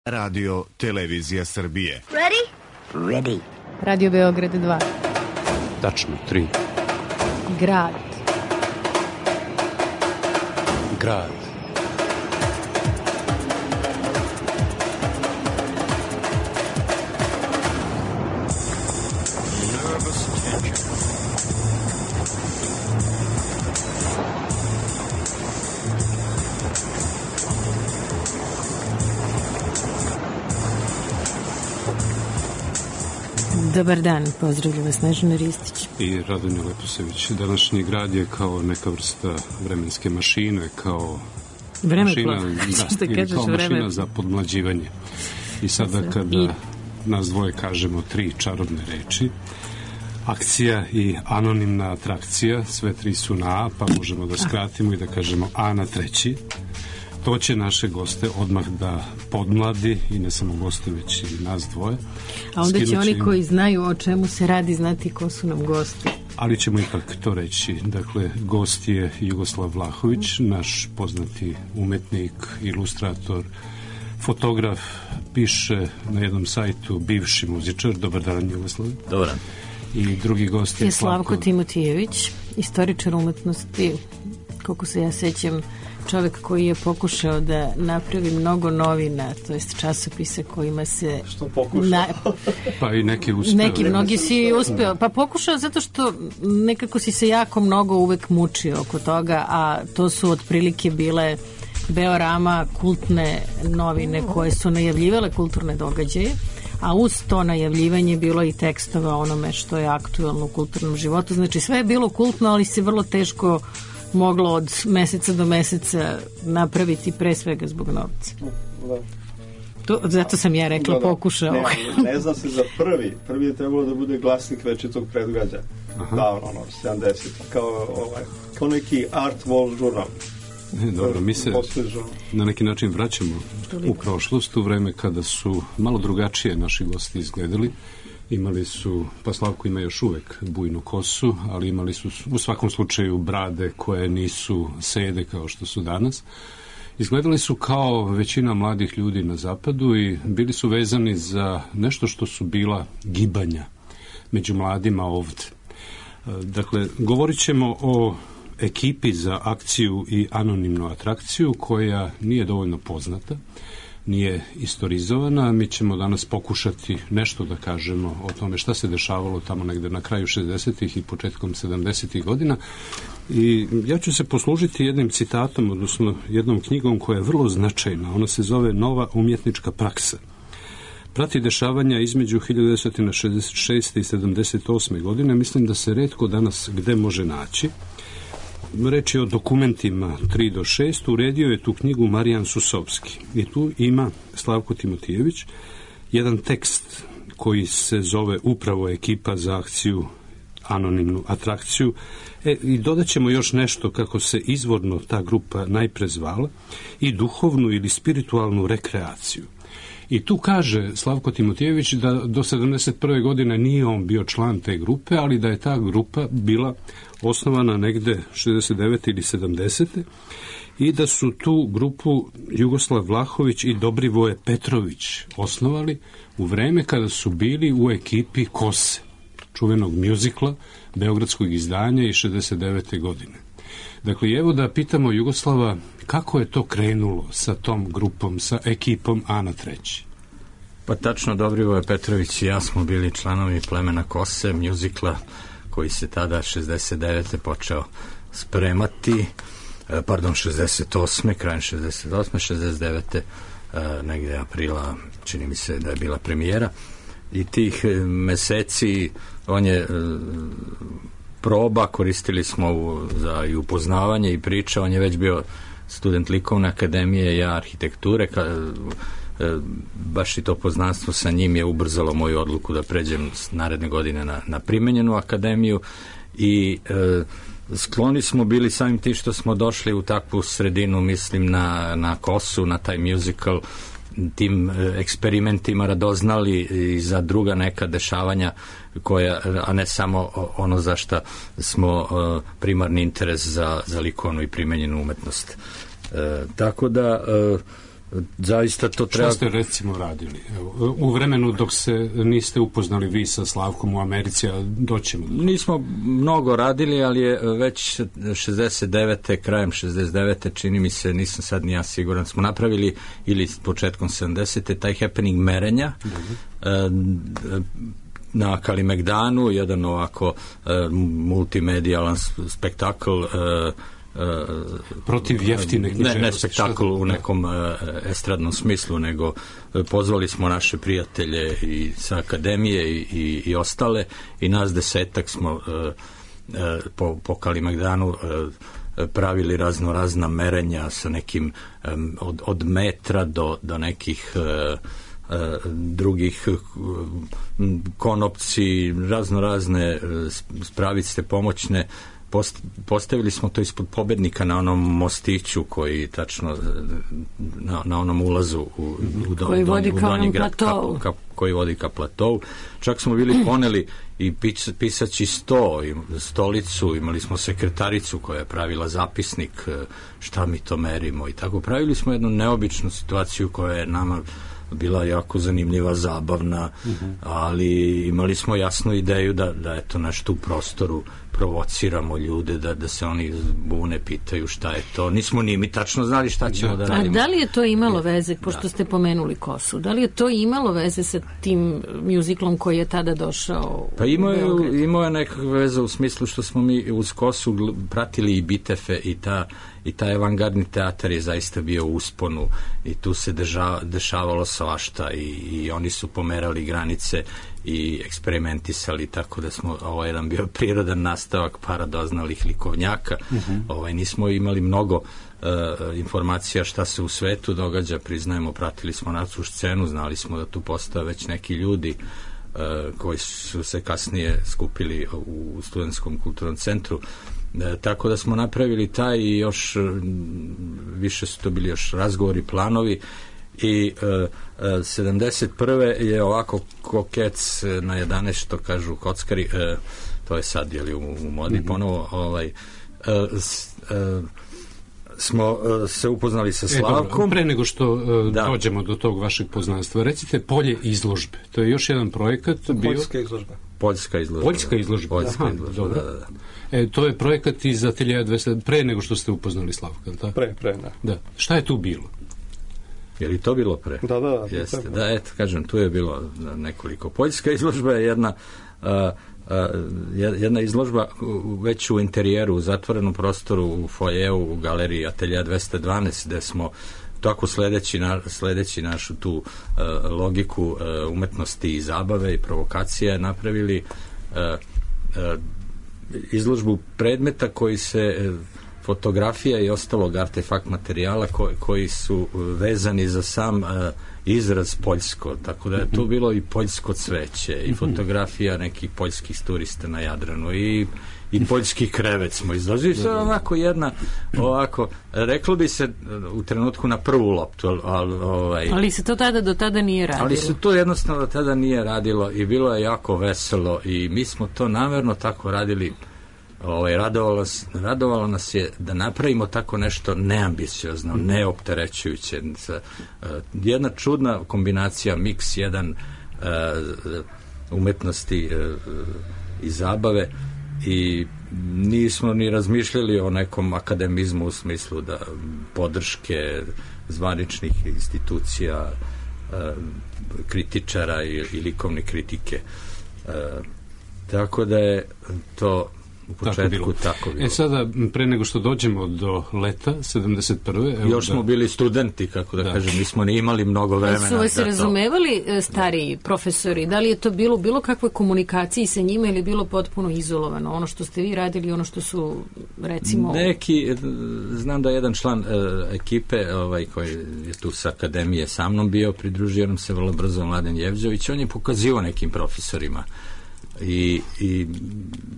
Radio Televizija Srbije. Ready? Ready. Radio Beograd 2. Tačno 3. Grad. Grad. Dobar dan, pozdravljam vas Snežana Ristić I Radonja Leposević. Današnji grad je kao neka vrsta vremenske mašine, kao mašina za podmlađivanje. I sada kada nas dvoje kažemo 3 čarobne reči, akcija i anonimna atrakcija, sve 3 su na A, pa možemo da skratimo i da kažemo A na 3. To će naše goste odmah da podmladi, i ne samo goste, već i nas dvoje. A onda će oni koji znaju o čemu se radi znati ko su nam gosti. Ali ćemo ipak to reći. Dakle, gost je Jugoslav Vlahović, naš poznati umetnik, ilustrator, fotograf, piše na jednom sajtu bivši muzičar. Dobar dan, Jugoslav. Dobar dan. I drugi gost je Slavko Timotijević, istoričar umetnosti, koliko se ja sećam, čovjek koji je pokušao da napravi mnogo novina, to jest časopise kojima se... Što pokušao? Pa i neki uspeo. Mnogi si uspeo. Pa pokušao zato što nekako si se jako mnogo uvek mučio oko toga, a to su otprilike bile Beorama, kultne novine koje su najavljivale kulturne događaje, a uz to najavljivanje bilo i tekstova onome što je aktuelno u kulturnom životu. Znači sve je bilo kultno, ali se vrlo teško moglo od meseca do meseca napraviti, pre svega zbog novca. Zato sam ja rekla pokušao. Ne zna se za prvi. Prvi je trebalo da bude glasnik večitog predgađa. Davno, 70. Kao neki art wall žurnal. Dobro, mi se na neki način vraćamo u prošlost, u vreme kada su malo drugačije naši gosti izgledali. Imali su, pa Slavko ima još uvek bujnu kosu, ali imali su u svakom slučaju brade koje nisu sede kao što su danas. Izgledali su kao većina mladih ljudi na zapadu i bili su vezani za nešto što su bila gibanja među mladima ovde. Dakle, govorit ćemo o ekipi za akciju i anonimnu atrakciju koja nije dovoljno poznata, nije istorizovana. Mi ćemo danas pokušati nešto da kažemo o tome šta se dešavalo tamo negde na kraju 60-ih i početkom 70-ih godina. I ja ću se poslužiti jednim citatom, odnosno jednom knjigom koja je vrlo značajna. Ona se zove Nova umjetnička praksa. Prati dešavanja između 1966. i 78. godine. Mislim da se retko danas gde može naći. Reč je o dokumentima 3 do 6. Uredio je tu knjigu Marijan Susovski. I tu ima Slavko Timotijević jedan tekst koji se zove upravo Ekipa za akciju, anonimnu atrakciju. I dodat ćemo još nešto kako se izvorno ta grupa najpre zvala, i duhovnu ili spiritualnu rekreaciju. I tu kaže Slavko Timotijević da do 71. godine nije on bio član te grupe, ali da je ta grupa bila osnovana negde 69. ili 70. i da su tu grupu Jugoslav Vlahović i Dobrivoje Petrović osnovali u vreme kada su bili u ekipi Kose, čuvenog mjuzikla, beogradskog izdanja iz 69. godine. Dakle, evo da pitamo Jugoslava kako je to krenulo sa tom grupom, sa ekipom A na 3. Pa tačno, Dobrivoje Petrović i ja smo bili članovi plemena Kose, mjuzikla koji se tada 69. počeo spremati, 68. krajem 68. 69. negde aprila, čini mi se da je bila premijera, i tih meseci on je proba, koristili smo za i upoznavanje i priča. On je već bio student likovne akademije, ja arhitekture, baš i to poznanstvo sa njim je ubrzalo moju odluku da pređem naredne godine na primenjenu akademiju i skloni smo bili samim tim što smo došli u takvu sredinu, mislim na Kosu, na taj musical, tim eksperimentima radoznali i za druga neka dešavanja koja, a ne samo ono za šta smo primarni interes za likovnu i primenjenu umetnost. Tako da zaista to treba... Šta ste recimo radili? Evo, u vremenu dok se niste upoznali vi sa Slavkom u Americi, a doćemo... Nismo mnogo radili, ali je već 69. krajem 69. čini mi se, nisam sad ni ja siguran, smo napravili, ili početkom 70. taj happening merenja na Kalimegdanu, jedan ovako multimedijalan spektakl, protiv jeftine književnosti. Ne spektakl u nekom estradnom smislu, nego pozvali smo naše prijatelje i sa akademije i ostale, i nas 10 smo po Kalimegdanu pravili razna merenja sa nekim od metra do nekih drugih konopci, razne spravice pomoćne. Postavili smo to ispod Pobednika na onom mostiću koji tačno na onom ulazu u donji grad, koji vodi ka platovu. Čak smo bili poneli i pisaći sto, i stolicu, imali smo sekretaricu koja je pravila zapisnik šta mi to merimo i tako. Pravili smo jednu neobičnu situaciju koja je nama bila jako zanimljiva, zabavna, ali imali smo jasnu ideju da eto nešto u prostoru provociramo ljude, da se oni bune, pitaju šta je to. Nismo ni mi tačno znali šta ćemo da radimo. A da li je to imalo veze, pošto ste pomenuli Kosu, da li je to imalo veze sa tim mjuziklom koji je tada došao pa imao je nekakve veze u smislu što smo mi uz Kosu pratili i Bitefe i taj avangardni teatar je zaista bio u usponu i tu se dešavalo svašta i oni su pomerali granice i eksperimentisali, tako da smo jedan bio prirodan nastavak paradoznalih likovnjaka. Nismo imali mnogo informacija šta se u svetu događa, priznajemo, pratili smo našu scenu, znali smo da tu postoje već neki ljudi koji su se kasnije skupili u Studentskom kulturnom centru. Tako da smo napravili taj i još više su to bili još razgovori, planovi i 71. je ovako kokec na 11, što kažu kockari, to je sad u modi ponovo, smo se upoznali sa Slavkom. Dobro, pre nego što dođemo do tog vašeg poznanstva, recite Polje izložbe. To je još jedan projekat. Poljska izložba. Da. To je projekat iz Ateljeja 200, pre nego što ste upoznali Slavka, tako? Pre, da. Šta je tu bilo? Je li to bilo pre? Da. Jeste. Da, eto, kažem, tu je bilo nekoliko. Poljska izložba je jedna izložba već u interijeru, u zatvorenom prostoru, u foajeu, u galeriji Ateljeja 212, gde smo tako sledeći našu tu logiku umetnosti i zabave i provokacije napravili izložbu predmeta koji se fotografija i ostalog artefakt materijala koji su vezani za sam izraz poljsko, tako da je tu bilo i poljsko cveće i fotografija nekih poljskih turista na Jadranu i poljski krevet smo izložili. To je ovako reklo bi se u trenutku na prvu loptu, ali se to do tada nije radilo. Ali se to jednostavno do tada nije radilo i bilo je jako veselo i mi smo to namerno tako radili. Radovalo nas je da napravimo tako nešto neambiciozno, neopterećujuće. Jedna čudna kombinacija, miks jedan umetnosti i zabave, i nismo ni razmišljali o nekom akademizmu u smislu da podrške zvaničnih institucija, kritičara i likovne kritike. Tako da je to u početku tako bilo. Sada, pre nego što dođemo do leta 71. Još smo bili studenti, kako da kažem, nismo ni imali mnogo vremena. Su vas razumevali stariji profesori? Da li je to bilo kakve komunikaciji sa njima ili bilo potpuno izolovano? Ono što ste vi radili, ono što su, recimo... Znam da je jedan član ekipe koji je tu sa akademije sa mnom bio, pridružio nam se vrlo brzo Mladen Jevđović, on je pokazivao nekim profesorima i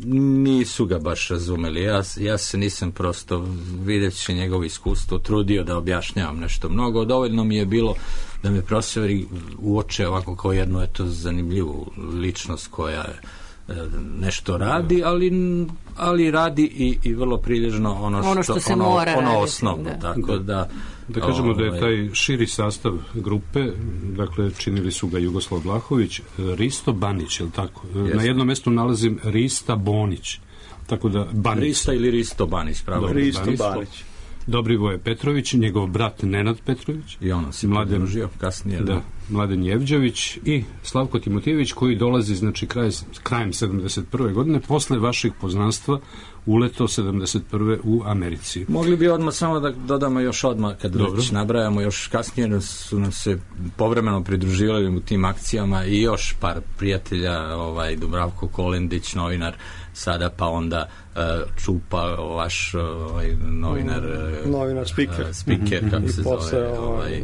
nisu ga baš razumeli. Ja se nisam prosto, videći njegovo iskustvo, trudio da objašnjavam nešto mnogo. Dovoljno mi je bilo da me profesori uoče ovako kao jednu zanimljivu ličnost koja nešto radi, ali radi i vrlo prilježno ono što se mora raditi, osnovno. Tako da kažemo da je taj širi sastav grupe, dakle činili su ga Jugoslav Vlahović, Risto Banić, je li tako? Yes. Na jednom mestu nalazim Rista Bonić. Tako da Banić. Rista ili Risto Banić, pravo. Risto Banić. Dobrivoje Petrović, njegov brat Nenad Petrović. I ono se pridružio kasnije. Da, Mladen Jevđević i Slavko Timotijević, koji dolazi, znači, krajem 71. godine, posle vaših poznanstva uleto 71. u Americi. Mogli bi odmah samo da dodamo još odmah, kad već nabrajamo, još kasnije su nam se povremeno pridruživali u tim akcijama i još par prijatelja, Dubravko Kolendić, novinar sada, pa onda Čupa, vaš novinar speaker, kako se zove,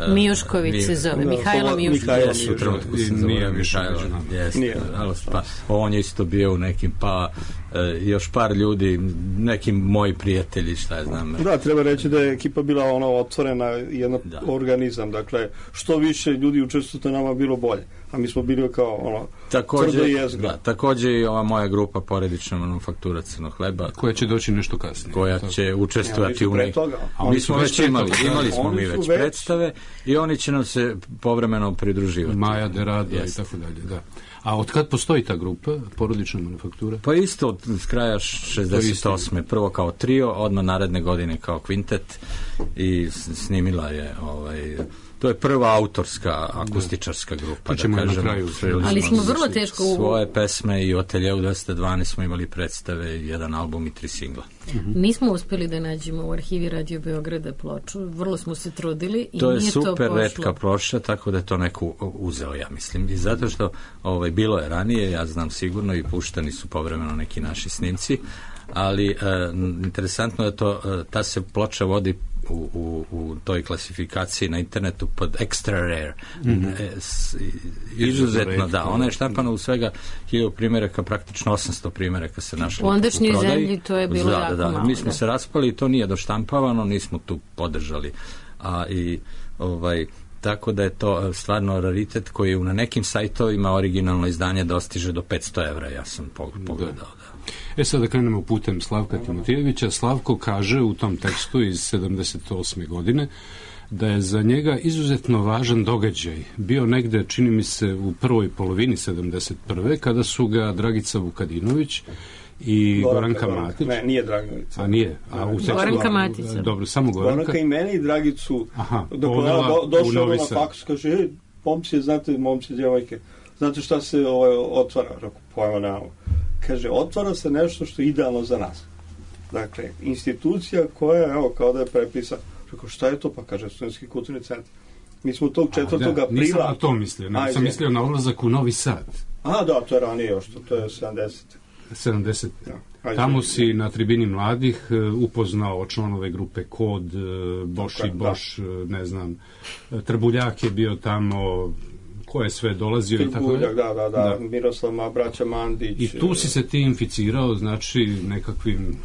Mijušković se zove, Mihajlo Mijušković. U trenutku se zove Mihajlo. Pa on je isto bio u nekim, pa još par ljudi, nekim moji prijatelji, šta ja znam. Da, treba reći da je ekipa bila otvorena, jedan organizam, dakle, što više ljudi učestvujete, nama bilo bolje. A mi smo bili kao tvrdo jezgra. Također i ova moja grupa Porodična manufaktura crnog hleba. Koja će doći nešto kasnije. Koja će učestvovati u nekim. Mi smo već imali smo mi već predstave i oni će nam se povremeno pridruživati. Maja de Rado i tako dalje, da. A od kad postoji ta grupa, Porodična manufaktura? Pa isto od kraja 68. Prvo kao trio, odmah naredne godine kao kvintet i snimila je to je prva autorska akustičarska grupa, da kažem. Ali smo vrlo teško svoje pesme i u Ateljeu 212 smo imali predstave, jedan album i 3 singla. Nismo uspjeli da nađemo u arhivi Radio Beograda ploču, vrlo smo se trudili i to je super retka ploča, tako da je to neko uzeo, ja mislim. I zato što bilo je ranije, ja znam sigurno, i puštani su povremeno neki naši snimci, ali interesantno je ta se ploča vodi u toj klasifikaciji na internetu pod extra rare. Izuzetno, da. Ona je štampana u svega 1000 primjeraka, praktično 800 primjeraka se našlo u ondašnjoj zemlji, to je bilo jako malo. Mi smo se raspali i to nije doštampavano, nismo tu podržali. Tako da je to stvarno raritet koji na nekim sajtovima originalno izdanje dostiže do 500 evra, ja sam pogledao. Sada krenemo putem Slavka Timotijevića. Slavko kaže u tom tekstu iz 78. godine da je za njega izuzetno važan događaj bio negde, čini mi se, u prvoj polovini 71. kada su ga Dragica Vukadinović i Goranka Matić. Ne, nije Dragica. A nije? Goranka Matić. Dobro, samo Goranka. Goranka i mene i Dragicu. Došao na faks, kaže, momci, djevojke, znate šta se otvara? Pojma nemamo. Kaže, otvara se nešto što je idealno za nas. Dakle, institucija koja, kao da je prepisana. Rekao, šta je to? Pa kaže, Studentski kulturni centar. Mi smo tog 4. aprila... Nisam na to mislio, sam mislio na odlazak u Novi Sad. Da, to je ranije još, to je 70. Tamo si na tribini mladih upoznao članove grupe Kod, Boš i Boš, ne znam, Trbuljak je bio tamo, ko je sve dolazio i tako je. Da, Miroslav, braća Mandić. I tu si se ti inficirao, znači, nekakvim,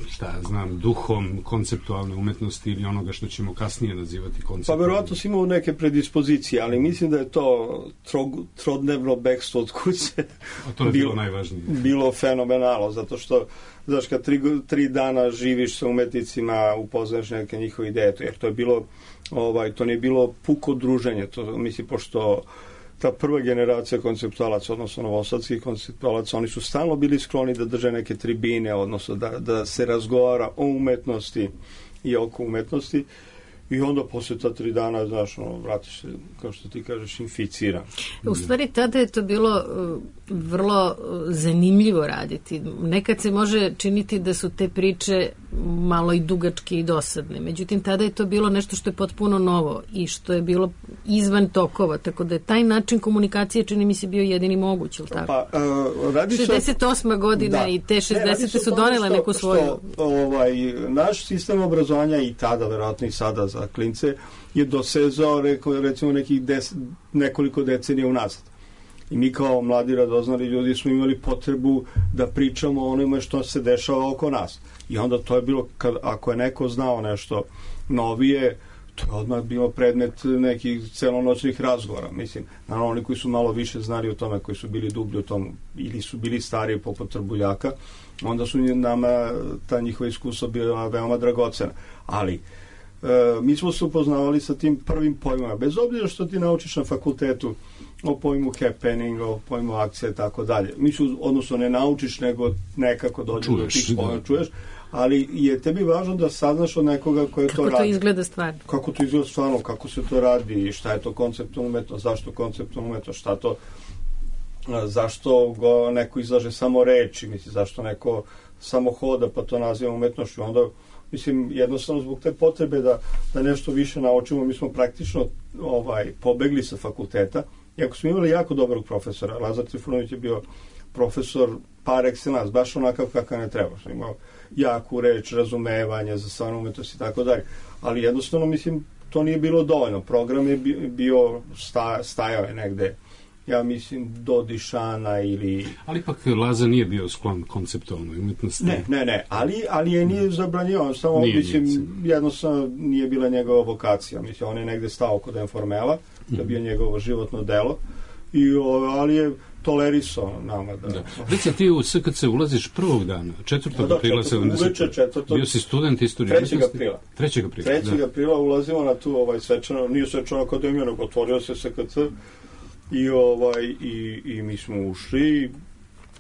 duhom konceptualne umetnosti ili onoga što ćemo kasnije nazivati konceptualne. Pa verovatno si imao neke predispozicije, ali mislim da je to trodnevno bekstvo od kuće. A to je bilo najvažnije. Bilo fenomenalno, zato što, znaš, kad 3 dana živiš sa umetnicima, upoznaš neke njihove ideje, jer to je bilo, to nije bilo puko druženje, to mislim, pošto ta prva generacija konceptualaca, odnosno novosadskih konceptualaca, oni su stalno bili skloni da drže neke tribine, odnosno da se razgovara o umetnosti i oko umetnosti. I onda posle ta 3 dana, znaš, vratiš se, kao što ti kažeš, inficiran. U stvari, tada je to bilo vrlo zanimljivo raditi. Nekad se može činiti da su te priče malo i dugačke i dosadne. Međutim, tada je to bilo nešto što je potpuno novo i što je bilo izvan tokova. Tako da je taj način komunikacije, čini mi se, bio jedini moguć, ili tako? Pa, 68. godina i te 60. su donele neku svoju... Naš sistem obrazovanja i tada, verovatno i sada za klince, je dosezao, recimo, nekoliko decenija unazad. I mi kao mladi radoznali ljudi smo imali potrebu da pričamo o onome što se dešava oko nas. I onda to je bilo, ako je neko znao nešto novije, to je odmah bilo predmet nekih celonoćnih razgovora. Mislim, naravno, oni koji su malo više znali o tome, koji su bili dublji u tom, ili su bili stariji poput Trbuljaka, onda su nama ta njihova iskustva bila veoma dragocena. Ali, mi smo se upoznavali sa tim prvim pojmama, bez obzira što ti naučiš na fakultetu o pojmu happening, o pojmu akcije i tako dalje. Odnosno ne naučiš, nego nekako dođe do tih pojma, čuješ, ali je tebi važno da saznaš od nekoga koje to radi. Kako to izgleda stvarno. Kako to izgleda stvarno, kako se to radi, šta je to konceptualna umetnost, zašto konceptualna umetnost, šta to, zašto go neko izlaže samo reči, mislim, zašto neko samo hoda pa to naziva umetnošću. Onda, mislim, jednostavno zbog te potrebe da nešto više naučimo, mi smo praktično pobegli sa fakulteta. Iako smo imali jako dobrog profesora, Lazar Trifunović je bio profesor par excellence, baš onakav kakav ne treba. Imao jaku reč, razumevanje za stvarnu umetnost i tako dalje. Ali jednostavno, mislim, to nije bilo dovoljno. Program je bio, stajao je negde, ja mislim, do Dišana ili... Ali ipak Laza nije bio sklon konceptualnoj umetnosti. Ne, ali je nije zabranjivao, samo, mislim, jednostavno nije bila njegova vokacija. Mislim, on je negde stao kod Informela, da bi je njegovo životno delo, ali je tolerisao nama da... Recimo, ti u SKC ulaziš prvog dana, 4. aprila 70. Bio si student istorije. 3. aprila. 3. aprila ulazimo na tu svečanu, nije svečanu akademiju, nego otvorio se SKC i mi smo ušli,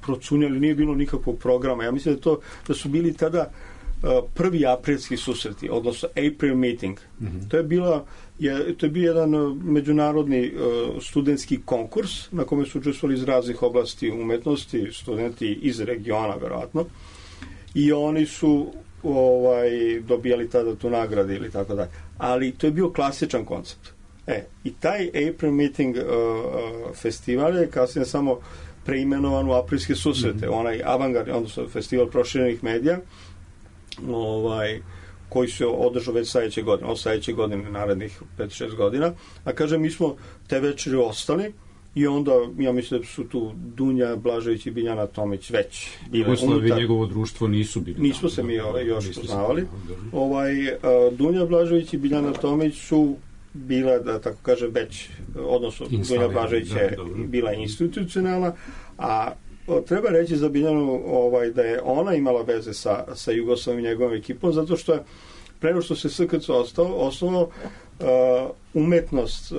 procunjali, nije bilo nikakvog programa. Ja mislim da su bili tada prvi aprilski susreti, odnosno April meeting. To je bio jedan međunarodni studentski konkurs na kome su učestvovali iz raznih oblasti umetnosti, studenti iz regiona, verovatno, i oni su dobijali tada tu nagradu ili tako dalje. Ali to je bio klasičan koncept. I taj April meeting festival je kasnije samo preimenovan u aprilske susrete. Onaj avangard, odnosno festival proširenih medija, koji se održao već sledeće godine, narednih 5-6 godina. A kažem, mi smo te večeri ostali i onda, ja mislim da su tu Dunja Blažević i Biljana Tomić već bile unutar. I njegovo društvo nisu bili. Nismo se mi još poznavali. Dunja Blažević i Biljana Tomić su bila, da tako kažem, već, odnosno Dunja Blažević je bila institucionalna, a treba reći za Biljanu da je ona imala veze sa Jugoslavom i njegovom ekipom, zato što je pre nego što se SKC osnovno umetnost,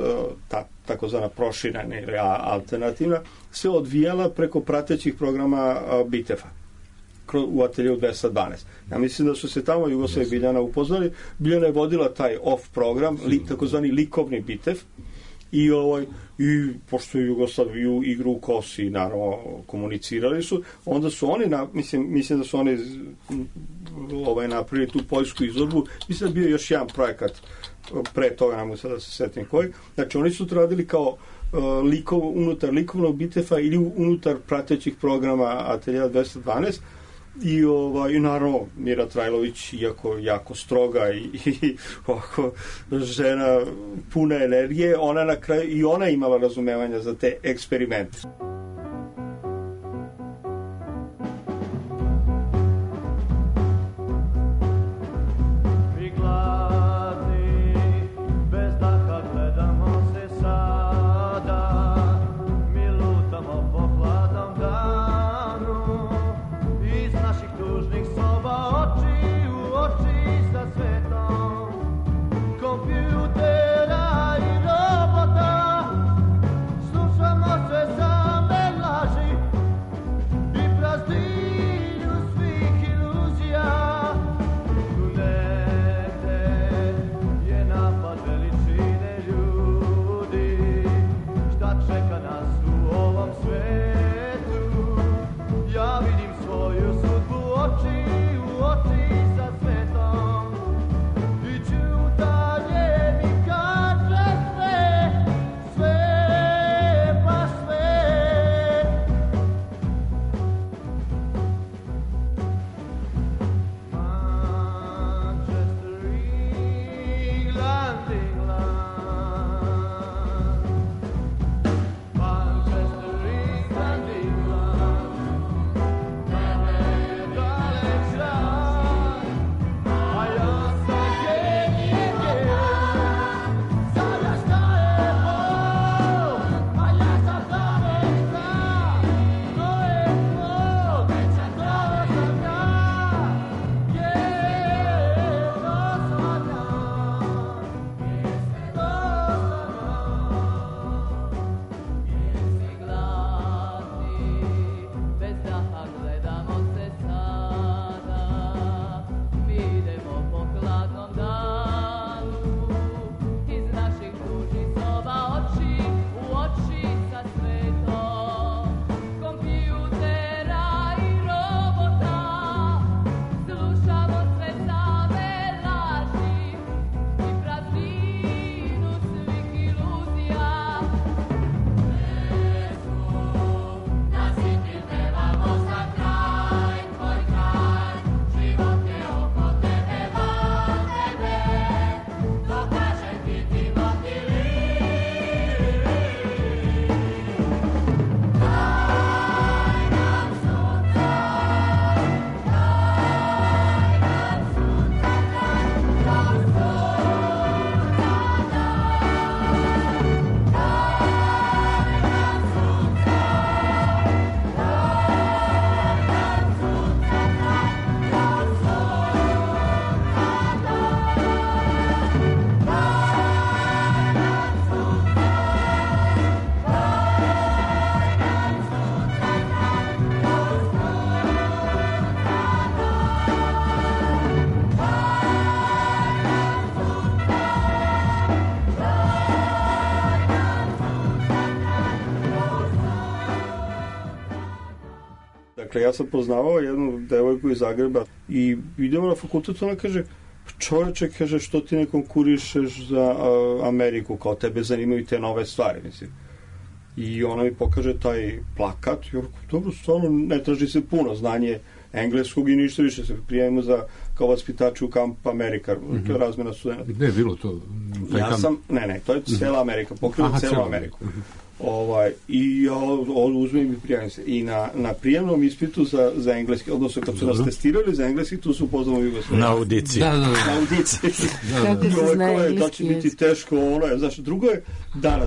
takozvana proširena ili alternativna, se odvijala preko pratećih programa BITEF-a u ateljevu 212. Ja mislim da su se tamo Jugoslav i Biljana upoznali. Biljana je vodila taj off program, takozvani likovni BITEF, i pošto je Jugoslaviju igru u kosi, naravno, komunicirali su, onda su oni, mislim da su oni napravili tu poljsku izložbu. Mislim da je bio još jedan projekat pre toga, ne mogu sada da se setim koji. Znači, oni su to radili kao unutar likovnog BITEF-a ili unutar pratećih programa Ateljeva 212, i naravno Mira Trajlović, iako jako stroga i ovako žena puna energije, ona na kraju i ona imala razumevanja za te eksperimente. Kompjutera i robota, slušamo sve samo Dakle, ja sam poznavao jednu devojku iz Zagreba i idemo na fakultet, ona kaže, čoveče, kaže, što ti ne konkurišeš za Ameriku, kao tebe zanimaju te nove stvari, mislim. I ona mi pokaže taj plakat, jer dobro, stvarno ne traži se puno znanje engleskog i ništa više, se prijavimo za kao vaspitači u Camp America, to je razmena studenta. Gde je bilo to? Ne, to je cela Amerika, pokriva celu Ameriku. I ja uzmem i prijavim se. I na prijemnom ispitu za engleski, odnosno kad su nas testirali za engleski, tu su upoznamo Jugoslaviju. Na audiciji. Na audiciji. Kako se zna engleski? To će biti teško, znaš, drugo je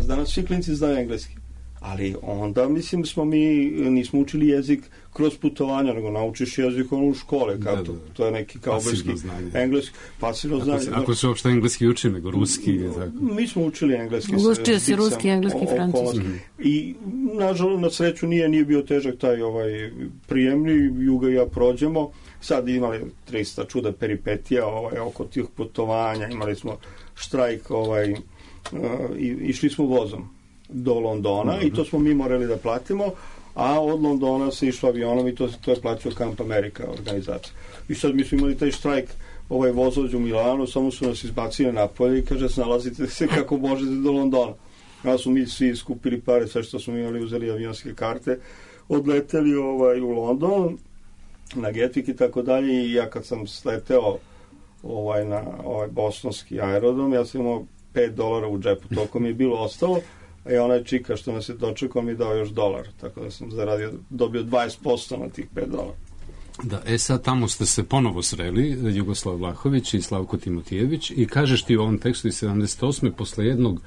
danas svi klinci znaju engleski. Ali onda, mislim, nismo učili jezik kroz putovanja, nego naučiš jezik u škole, to je neki kao engleski, pasivno znanje. Ako se uopšte engleski uči, nego ruski. Mi smo učili engleski. Učio se ruski, engleski, francuski. I, nažalost, na sreću nije bio težak taj prijemni, Juga i ja prođemo. Sad imali 300 čuda peripetija oko tih putovanja, imali smo štrajk, išli smo vozom do Londona i to smo mi morali da platimo, a od Londona se išlo avionom i to je plaćao Camp America organizacija. I sad mi smo imali taj štrajk, vozođ u Milanu, samo su nas izbacili napolje i kaže, snalazite se kako možete do Londona. Ja smo mi svi skupili pare, sve što smo imali, uzeli avionske karte, odleteli u London, na Gatwick i tako dalje, i ja kad sam sleteo na bostonski aerodrom, ja sam imao $5 u džepu, toliko mi je bilo ostalo. I onaj čika što nas je dočekao mi dao još $1, tako da sam dobio 20% na tih $5. Da, sad tamo ste se ponovo sreli, Jugoslav Vlahović i Slavko Timotijević, i kažeš ti u ovom tekstu iz 78. posle jednog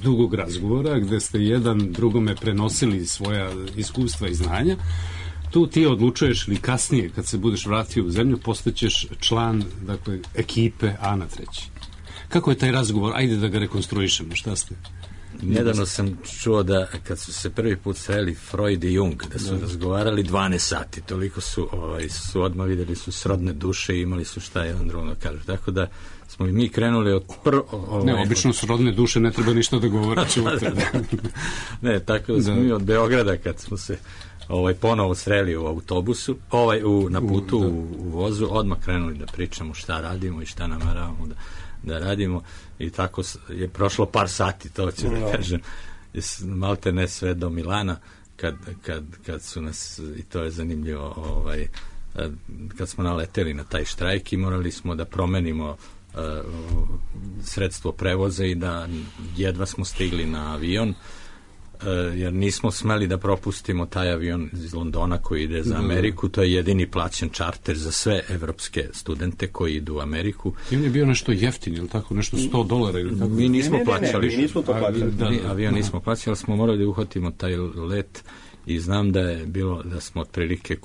dugog razgovora, gde ste jedan drugome prenosili svoja iskustva i znanja, tu ti odlučuješ, ili kasnije, kad se budeš vratio u zemlju, postaćeš član, dakle, ekipe Ana Treći. Kako je taj razgovor? Ajde da ga rekonstruišemo, šta ste? Nedavno sam čuo da kad su se prvi put sreli Freud i Jung, da su razgovarali 12 sati, toliko su odmah videli su srodne duše i imali su šta jedan drugom da kažu. Tako da smo i mi krenuli od obično srodne duše ne treba ništa da govore. Ne, tako da smo mi od Beograda kad smo se ponovo sreli u autobusu, na putu u vozu, odmah krenuli da pričamo šta radimo i šta nameravamo da radimo, i tako je prošlo par sati, to ću da kažem, malte ne sve do Milana, kad su nas, i to je zanimljivo, kad smo naleteli na taj štrajk i morali smo da promenimo sredstvo prevoza i da jedva smo stigli na avion, jer nismo smeli da propustimo taj avion iz Londona koji ide za Ameriku. To je jedini plaćen čarter za sve evropske studente koji idu u Ameriku. I on je bio nešto jeftin, ili tako, nešto $100 ili tako? Mi nismo plaćali. Mi nismo to plaćali. Avion nismo plaćali, ali smo morali da uhvatimo taj let, i znam da je bilo, da smo otprilike,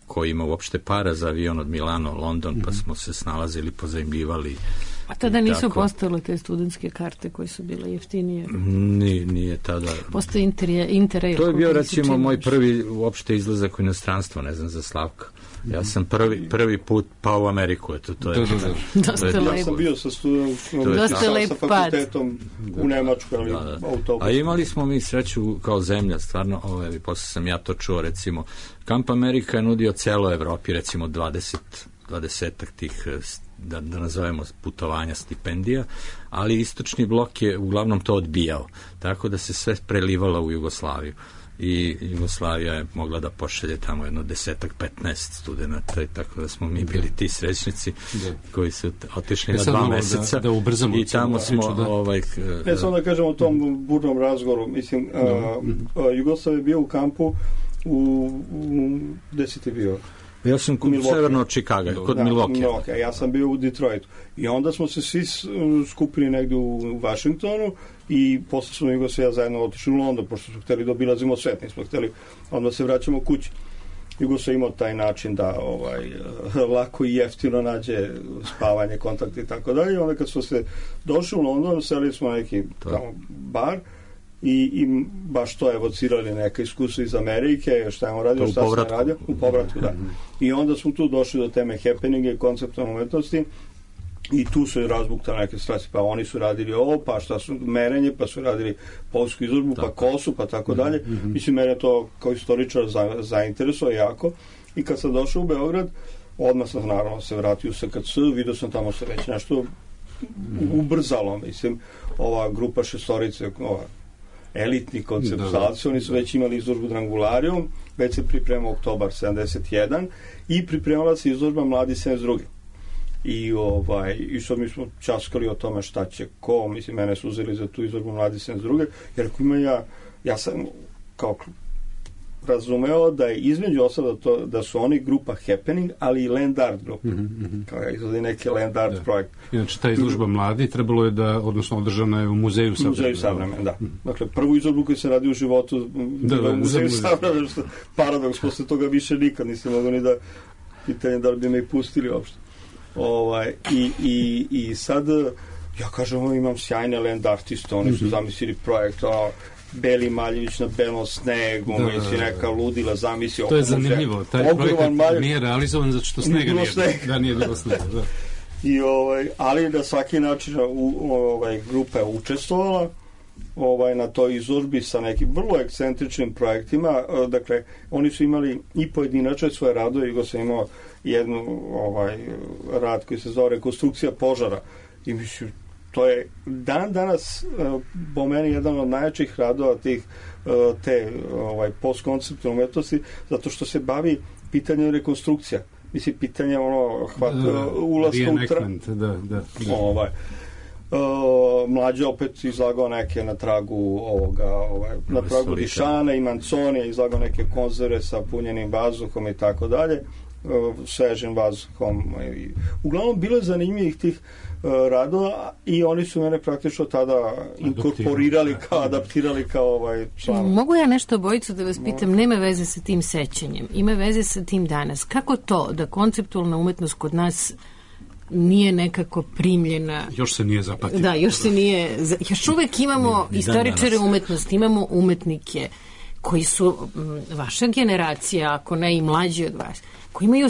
ko ima uopšte para za avion od Milano, London, pa smo se snalazili, pozajmljivali. A tada nisu postale te studentske karte koje su bile jeftinije? Nije tada. Postoji Interrail. To je bio, recimo, moj prvi uopšte izlazak u inostranstvo, ne znam za Slavka. Ja sam prvi put pao u Ameriku, to je dosta lepo. Ja sam bio sa fakultetom u Nemačku, ali autobus. A imali smo mi sreću kao zemlja, stvarno, posle sam ja to čuo, recimo, Camp America je nudio celo Evropi, recimo 20-ak tih, da nazovemo, putovanja, stipendija, ali istočni blok je uglavnom to odbijao, tako da se sve prelivalo u Jugoslaviju. I Jugoslavija je mogla da pošalje tamo jedno 10-15 studenta, i tako da smo mi bili ti srećnici koji su otišli na 2 meseca i tamo smo ne samo da kažemo o tom burnom razgovoru, mislim, Jugoslav je bio u kampu gde si ti bio? Ja sam severno od Čikaga, kod Milwaukee. Ja sam bio u Detroitu. I onda smo se svi skupili negde u Vašingtonu i posle smo Jugoslavija zajedno otišli u London, pošto smo hteli da obilazimo svet, nismo hteli onda se vraćamo kući. Jugoslavija imao taj način da lako i jeftino nađe spavanje, kontakt i tako dalje. Onda kad smo se došli u London, seli smo na neki tamo bar, i baš to evocirali neka iskustva iz Amerike, šta je on radio, šta sam radio, u povratku, da. I onda smo tu došli do teme happeninga i konceptualne umetnosti, I tu su razbuktane neke strasti, pa oni su radili ovo, pa šta su merenje, pa su radili polsku izložbu, pa kosu, pa tako dalje. Mislim, mene to kao istoričar zainteresuje jako. I kad sam došao u Beograd, odmah sam naravno se vratio u SKC, vidio sam tamo se već nešto ubrzalo, mislim, ova grupa šestorice, elitni konceptualci, oni su već imali izložbu Drangularijum, već se pripremao Oktobar 71 i pripremala se izložba Mladi 72. I sad mi smo časkali o tome šta će ko, mislim, mene su uzeli za tu izložbu Mladi 72. Jer ako ima ja sam kao razumeo da je između ostalog da su oni grupa Happening, ali i Land Art grupa. Kao ja izvodi neki Land Art projekt. Inače, ta izložba Mladi trebalo je da, odnosno održana je u Muzeju Savremena. Muzeju Savremena, da. Dakle, prvu izložbu koju se radi u životu u Muzeju Savremena, što paradoks, posle toga više nikad nisam mogu ni da pitanje da li bi me i pustili uopšte. I sad ja kažem, imam sjajne land artiste, oni su zamislili projekt Beli Maljević na belom snegu, misli neka ludila zamisli. To je zanimljivo, taj projekat nije realizovan zato što snega nije bilo snega. Ali na svaki način grupa je učestvovala na toj izložbi sa nekim vrlo ekscentričnim projektima. Dakle, oni su imali i pojedinačne svoje radove, Igo sam imao jednu rad koji se zove Rekonstrukcija požara i mislim, to je dan danas po meni jedan od najjačih radova te postkonceptualne umetnosti, zato što se bavi pitanjem rekonstrukcija. Mislim, pitanje ulaska u Mlađe opet izlagao neke na tragu na tragu Dišana i Manconija, izlagao neke konzerve sa punjenim vazduhom i tako dalje, svežim vazduhom. Uglavnom, bilo je zanimljivih tih radova i oni su mene praktično tada inkorporirali, adaptirali kao član. Mogu ja nešto, Bojicu, da vas pitam? Nema veze sa tim sećanjem, ima veze sa tim danas. Kako to da konceptualna umetnost kod nas nije nekako primljena? Još se nije zapatila. Da, još uvek imamo istoričare umetnosti, imamo umetnike koji su vaša generacija, ako ne i mlađi od vas, koji imaju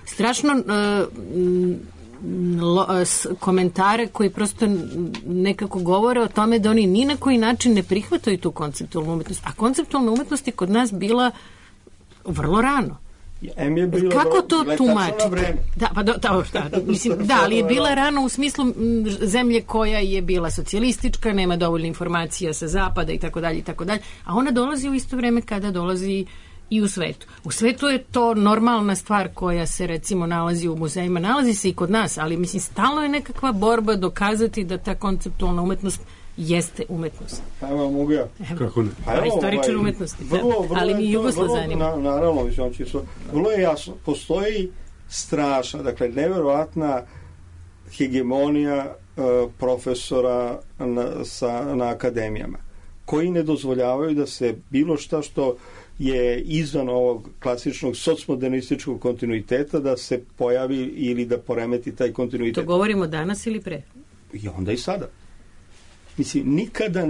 strašno komentare koji prosto nekako govore o tome da oni ni na koji način ne prihvataju tu konceptualnu umetnost. A konceptualna umetnost je kod nas bila vrlo rano. Kako to tumačite? Ali je bila rano u smislu zemlje koja je bila socijalistička, nema dovoljno informacija sa zapada i tako dalje, a ona dolazi u isto vreme kada dolazi i u svetu. U svetu je to normalna stvar koja se recimo nalazi u muzejima, nalazi se i kod nas, ali mislim stalno je nekakva borba dokazati da ta konceptualna umetnost jeste umetnost. Evo, mogu ja. Kako ne? Istoričar umetnosti. Ali mi Jugoslav zanima. Naravno, vrlo je jasno. Postoji strašna, dakle, neverovatna hegemonija profesora na akademijama, koji ne dozvoljavaju da se bilo šta što je izvan ovog klasičnog socmodernističkog kontinuiteta da se pojavi ili da poremeti taj kontinuitet. To govorimo danas ili pre? I onda i sada. Mislim, nikada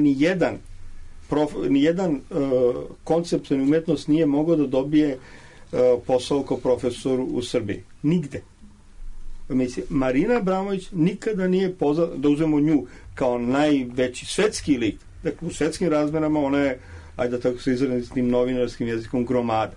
nijedan koncept umetnost nije mogao da dobije posao kao profesor u Srbiji. Nigde. Mislim, Marina Abramović nikada nije poznata, da uzmemo nju kao najveći svetski lik. Dakle, u svetskim razmerama ona je, ajde da tako se izrazim s tim novinarskim jezikom, gromada.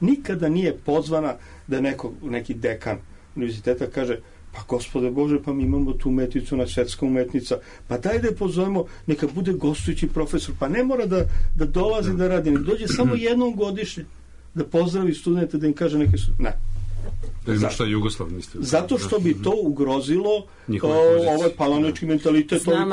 Nikada nije pozvana da neki dekan univerziteta kaže: pa gospode Bože, pa mi imamo tu umetnicu, na svetska umetnica, pa daj da je pozovemo, neka bude gostujući profesor, pa ne mora da dolazi da radi, nek dođe samo jednom godišnje da pozdravi studente, da im kaže neke ne. Da ima šta Jugoslav mislio. Zato što bi to ugrozilo ovaj palanički mentalitet. Znam,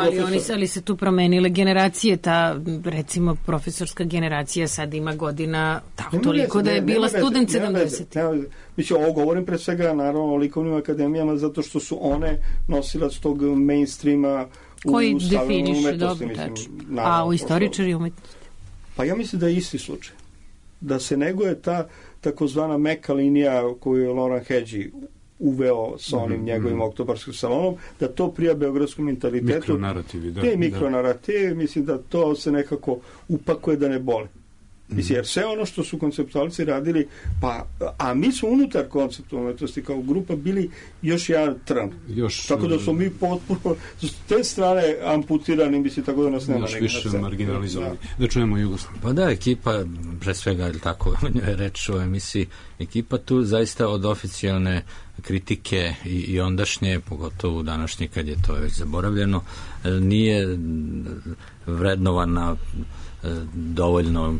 ali se tu promenile generacije, ta recimo profesorska generacija sad ima godina toliko da je bila student 70. Mislim, ovo govorim pre svega naravno o likovnim akademijama, zato što su one nosilac tog mainstreama koji definiše dobro tačno. A u istoričari umetnosti? Pa ja mislim da je isti slučaj. Da se neguje ta takozvana meka linija koju je Laurent Hedži uveo sa onim njegovim oktobarskim salonom, da to prija beogradskom mentalitetu. Mikronarativi, da. Te mikronarativi, mislim da to se nekako upakuje da ne boli. Mislim, jer sve ono što su konceptualci radili, a mi smo unutar konceptualne umetnosti kao grupa bili još jedan trn. Tako da smo mi potpuno s te strane amputirani, mislim, tako da nas nema još više marginalizovani. Da čujemo Jugoslav. Pa da, ekipa, pre svega, ili tako je reč o emisiji, ekipa tu zaista od oficijalne kritike i ondašnje, pogotovo današnje kad je to već zaboravljeno, nije vrednovana dovoljno,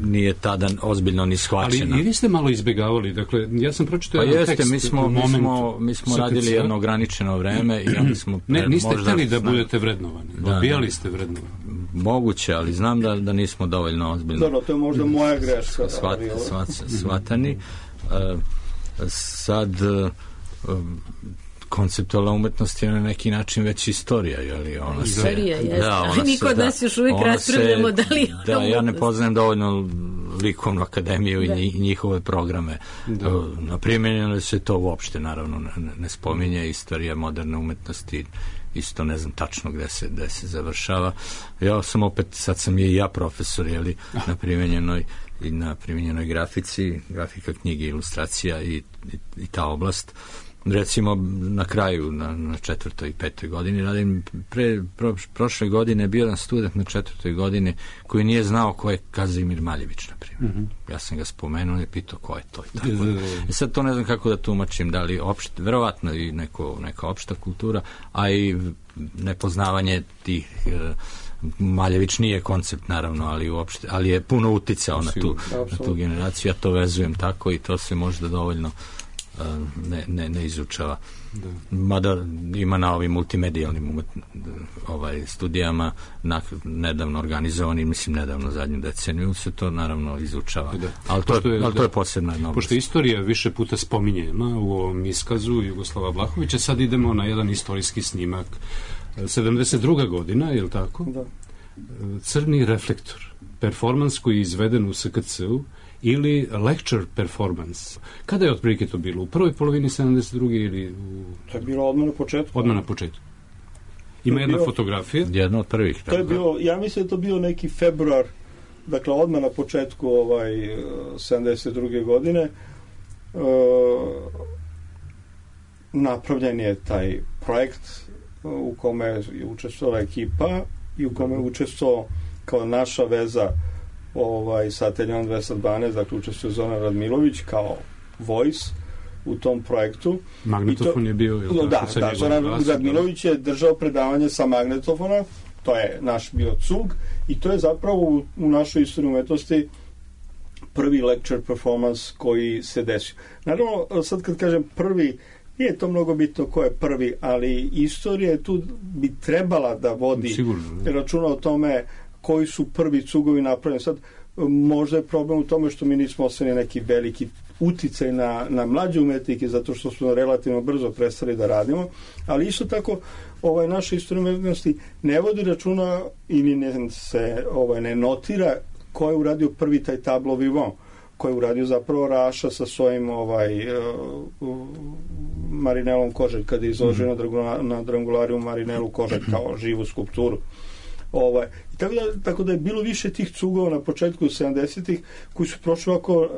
nije tada ozbiljno ni shvaćena. Ali i vi ste malo izbjegavali, dakle, ja sam pročitao jedan tekst. Mi smo radili jedno ograničeno vreme i onda smo... Niste htjeli da budete vrednovani, odbijali ste vrednovani. Moguće, ali znam da nismo dovoljno ozbiljno... Dobro, to je možda moja greška. Shvatani. Sad... konceptualna umetnost je na neki način već istorija, je li ona se... Istorija, jeste. Ali mi kod nas još uvijek raspravljamo da li... Da, ja ne poznajem dovoljno likovnu akademiju i njihove programe. Na primjenjeno se to uopšte, naravno, ne spominje istorija moderne umetnosti, isto ne znam tačno gde se završava. Ja sam opet, sad sam i ja profesor, je li, na primjenjenoj grafici, grafika knjige, ilustracija i ta oblast. Recimo na kraju, na 4. i 5. godini radim. Prošle godine bio jedan student na 4. godini koji nije znao ko je Kazimir Maljević, na primjer. Ja sam ga spomenuo i pitao ko je to i tako. I sad to ne znam kako da tumačim, da li verovatno i neka opšta kultura, a i nepoznavanje tih Maljević nije koncept, naravno, ali je puno uticao na tu generaciju. Ja to vezujem tako i to se možda dovoljno ne izučava. Mada ima na ovim multimedijalnim studijama nedavno organizovani, mislim nedavno zadnju deceniju se to naravno izučava. Ali to je posebna jedna oblast. Pošto istorija više puta spominjena u ovom iskazu Jugoslava Vlahovića, sad idemo na jedan istorijski snimak. 72. godina, je li tako? Da. Crni reflektor. Performans koji je izveden u SKC-u ili lecture performance. Kada je otprilike to bilo? U prvoj polovini 72. ili To je bilo odmah na početku. Odmah na početku. Ima jedna fotografija. Jedna od prvih. To je bilo, ja mislim da to bio neki februar, dakle odmah na početku 72. godine. Napravljen je taj projekt u kome je učestvovala ekipa i u kome je učestvovao kao naša veza sa ateljom 212, dakle učestvuje Zoran Radmilović kao voice u tom projektu. Magnetofon je bio... Da, Zoran Radmilović je držao predavanje sa magnetofona, to je naš bio cug i to je zapravo u našoj istoriji umetnosti prvi lecture performance koji se desio. Naravno, sad kad kažem prvi, nije to mnogo bitno ko je prvi, ali istorija tu bi trebala da vodi računa o tome koji su prvi cugovi napravljeni. Sad, možda je problem u tome što mi nismo ostavili neki veliki uticaj na mlađe umetnike, zato što smo relativno brzo prestali da radimo, ali isto tako naša istorija umetnosti ne vodi računa ili ne notira ko je uradio prvi taj tableau vivant, ko je uradio zapravo Raša sa svojim Marinelom Koželj, kada je izložio na Drangulariju Marinelu Koželj kao živu skulpturu. Tako da je bilo više tih cugova na početku 70-ih koji su prošli ovako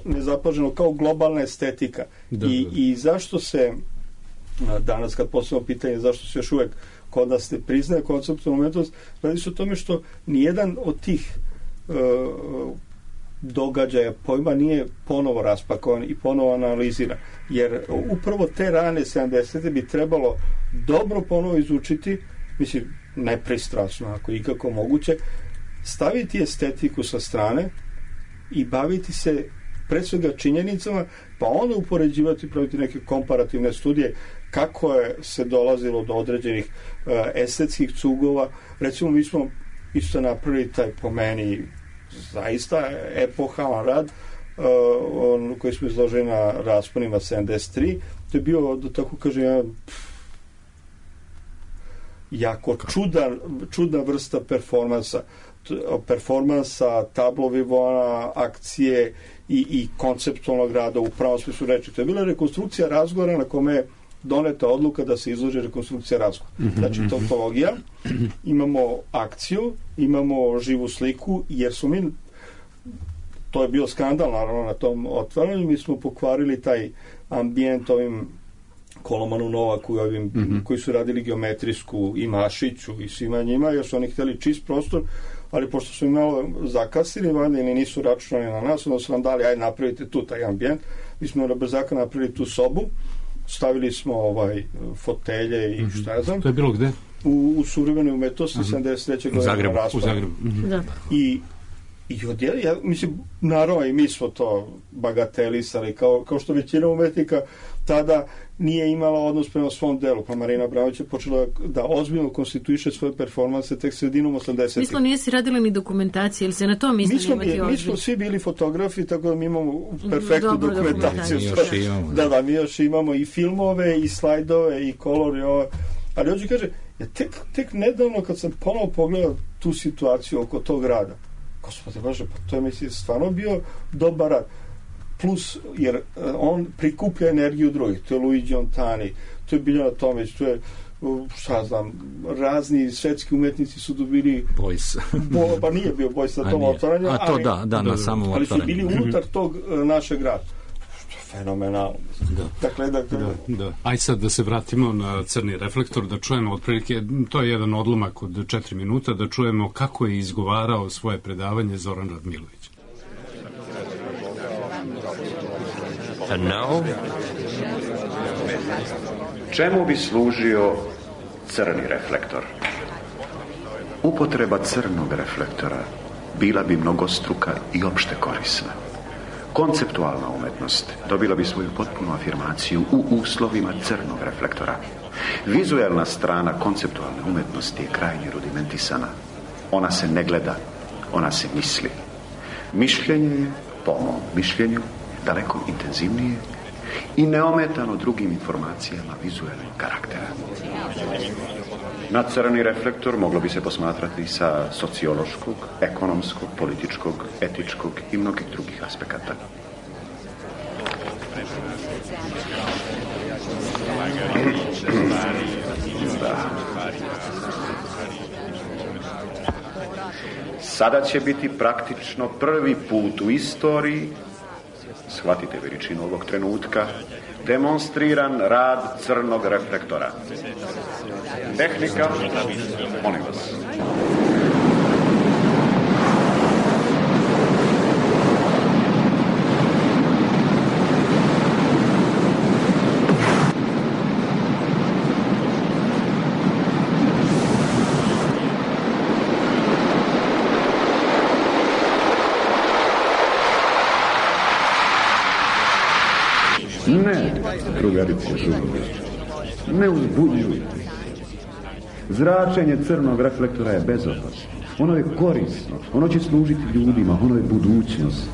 nezapaženo kao globalna estetika. I zašto se danas kad postavimo pitanje zašto se još uvek kod nas ne priznaje konceptualnu umetnost, radi se o tome što nijedan od tih događaja pojma nije ponovo raspakovan i ponovo analiziran. Jer upravo te rane 70-te bi trebalo dobro ponovo izučiti, mislim, nepristrasno, ako ikako moguće, staviti estetiku sa strane i baviti se pre svega činjenicama, pa onda upoređivati, praviti neke komparativne studije kako je se dolazilo do određenih estetskih cugova. Recimo, mi smo isto napravili taj, po meni, zaista epohalan rad koji smo izložili na rasponima 73. To je bio, da tako kažem, jako čudna vrsta performansa, tableau vivant, akcije i konceptualnog rada u pravom smislu reči. To je bila rekonstrukcija razgovora na kome doneta odluka da se izloži rekonstrukcija razgovora. Znači, tautologija, imamo akciju, imamo živu sliku, jer su mi, to je bio skandal naravno na tom otvaranju, mi smo pokvarili taj ambijent ovim Kolomanu Novaku i ovim koji su radili geometrijsku i Mašiću i svima njima, jer su oni htjeli čist prostor, ali pošto su im malo zakasili, valjda ili nisu računali na nas, onda su nam dali, ajde napravite tu taj ambijent. Mi smo na brzaka napravili tu sobu, stavili smo fotelje i šta ja znam. To je bilo gde? U suvremenoj umetnosti, 73. godine u Zagrebu. I ja mislim, naravno i mi smo to bagatelisali, kao što većina umetnika tada nije imala odnos prema svom delu, pa Marina Abramović je počela da ozbiljno konstituiše svoje performanse tek sredinom 80-ih. Mislim, nije si radila ni dokumentacije, ili se na to misli imati ozbiljno? Mi smo svi bili fotografi, tako da mi imamo perfektnu dokumentaciju. Mi još imamo i filmove, i slajdove, i kolor, ali hoću kaže, tek nedavno kad sam ponovo pogledao tu situaciju oko tog rada, gospode Bože, pa to je mislim stvarno bio dobar rad. Plus, jer on prikuplja energiju drugih. To je Luigi Ontani, to je Biljana Tomić, to je, šta znam, razni svetski umetnici su dobili... Bojs. Pa nije bio Bojs na tom otvaranju. A to na samom otvaranju. Ali su bili unutar tog našeg rada. Fenomenalno. Dakle. Aj sad da se vratimo na Crni reflektor, da čujemo otprilike, to je jedan odlomak od 4 minuta, da čujemo kako je izgovarao svoje predavanje Zoran Radmilović. And now? Čemu bi služio crni reflektor? Upotreba crnog reflektora bila bi mnogostruka i opšte korisna. Konceptualna umetnost dobila bi svoju potpunu afirmaciju u uslovima crnog reflektora. Vizuelna strana konceptualne umetnosti je krajnje rudimentisana. Ona se ne gleda, ona se misli. Mišljenje je, po mom mišljenju, daleko intenzivnije i neometano drugim informacijama vizualnog karaktera. Na crni reflektor moglo bi se posmatrati sa sociološkog, ekonomskog, političkog, etičkog i mnogih drugih aspekata. Sada će biti praktično prvi put u istoriji, shvatite veličinu ovog trenutka, demonstriran rad crnog reflektora. Tehnika, molim vas. Ne, drugarice žurove, ne uzbudjujte. Zračenje crnog reflektora je bezopasno. Ono je korisno, ono će služiti ljudima, ono je budućnost.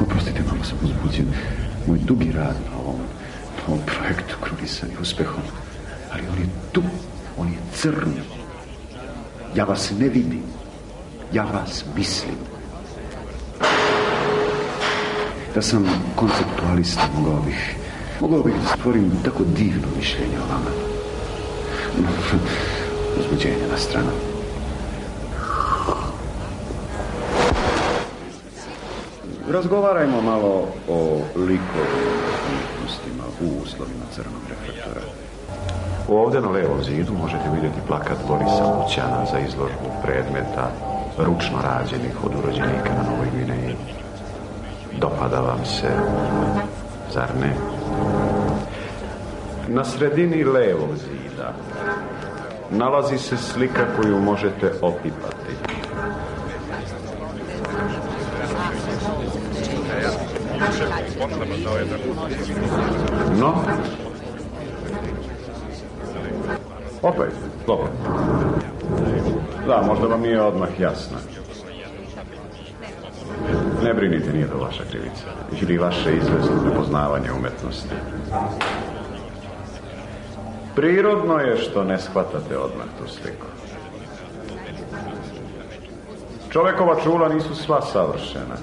Oprostite, malo sam uzbuđen. Moj dugi rad na ovom projektu krunisan je uspehom. Ali on je tu, on je crni. Ja vas ne vidim, ja vas mislim. Da sam konceptualista, mogao bih da stvorim tako divno mišljenje o vama. Uzbuđenje na stranu. Razgovarajmo malo o likovnim umjetnostima u uslovima crnog reflektora. Ovdje na levom zidu možete vidjeti plakat Borisa Lućana za izložbu predmeta ručno rađenih od urođenika na Novoj Gvineji. Dopada vam se, zar ne? Na sredini levog zida nalazi se slika koju možete opipati. No? Opet, slobodno. Da, možda vam nije odmah jasno. Ne brinite, nije to vaša krivica. Ili vaše izvesno nepoznavanje umetnosti. Prirodno je što ne shvatate odmah tu sliku. Čovekova čula nisu sva savršena.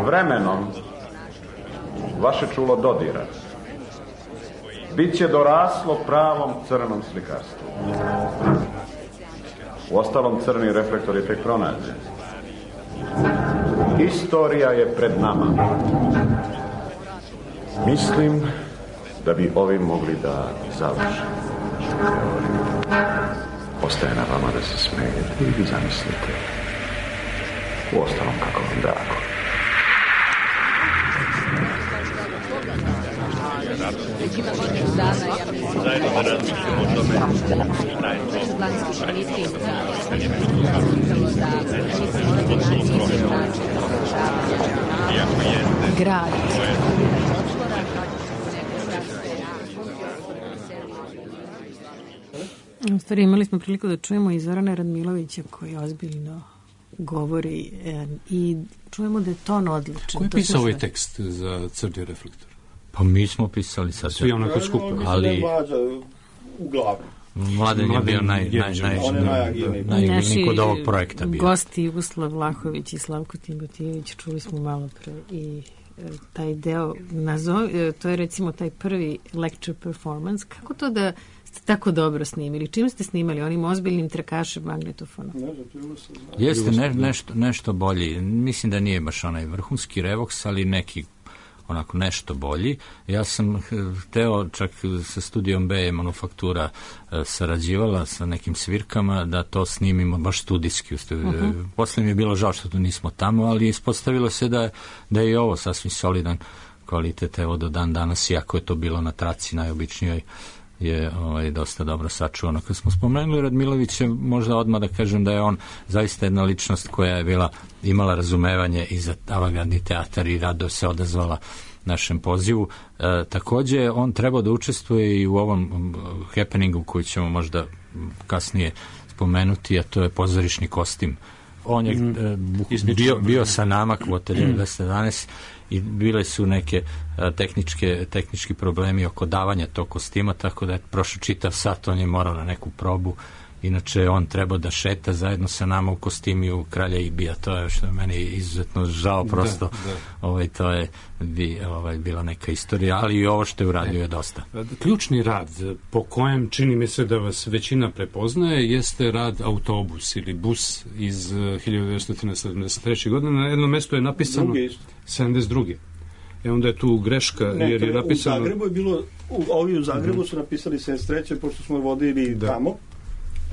Vremenom vaše čulo dodira. bit će doraslo pravom crnom slikarstvu. Uostalom, crni reflektor je tek pronađen. Istorija je pred nama. Mislim da bi ovim mogli da završimo teoriju. Ostaje na vama da se smejete ili vi zamislite. Uostalom, kako vam drago. Grad. U stvari imali smo priliku da čujemo i Zorana Radmilovića koji ozbiljno govori i čujemo da je ton odličan. Ko je pisao ovaj tekst za Crni reflektor? Pa mi smo pisali sad. Svi onako skupo. Ali uglavnom. Mladen je bio najagilniji kod ovog projekta bio. Gosti Jugoslav Vlahović i Slavko Timotijević, čuli smo malo pre i taj deo, to je recimo taj prvi lecture performance. Kako to da ste tako dobro snimili? Čim ste snimali? Onim ozbiljnim trakašem magnetofonom? Jeste nešto bolji. Mislim da nije baš onaj vrhunski Revox, ali neki onako nešto bolji. Ja sam hteo čak sa studijom B Manufaktura sarađivala sa nekim svirkama da to snimimo baš studijski. Posle mi je bilo žao što to nismo tamo, ali ispostavilo se da je i ovo sasvim solidan kvalitet, evo do dan danas, iako je to bilo na traci najobičnijoj, je dosta dobro sačuvano. Kad smo spomenuli Radmilovića, možda odmah da kažem da je on zaista jedna ličnost koja je imala razumevanje i za avangardni teatar i rado se odazvala našem pozivu. Takođe, on trebao da učestvuje i u ovom happeningu koji ćemo možda kasnije spomenuti, a to je pozorišni kostim. On je bio sa nama u Ateljeru 211 i bile su neke tehnički problemi oko davanja tog kostima, tako da je prošao čitav sat, on je morao na neku probu. Inače, on treba da šeta zajedno sa nama u kostimiju Kralja Ibija. To je što je meni izuzetno žao, prosto. To je bila neka istorija, ali i ovo što je uradio je dosta. Ključni rad po kojem čini mi se da vas većina prepoznaje jeste rad Autobus ili Bus iz 1973. godine. Na jednom mestu je napisano 72. Onda je tu greška, jer je napisano... U Zagrebu je bilo, ovi u Zagrebu su napisali 73. pošto smo vodili tamo,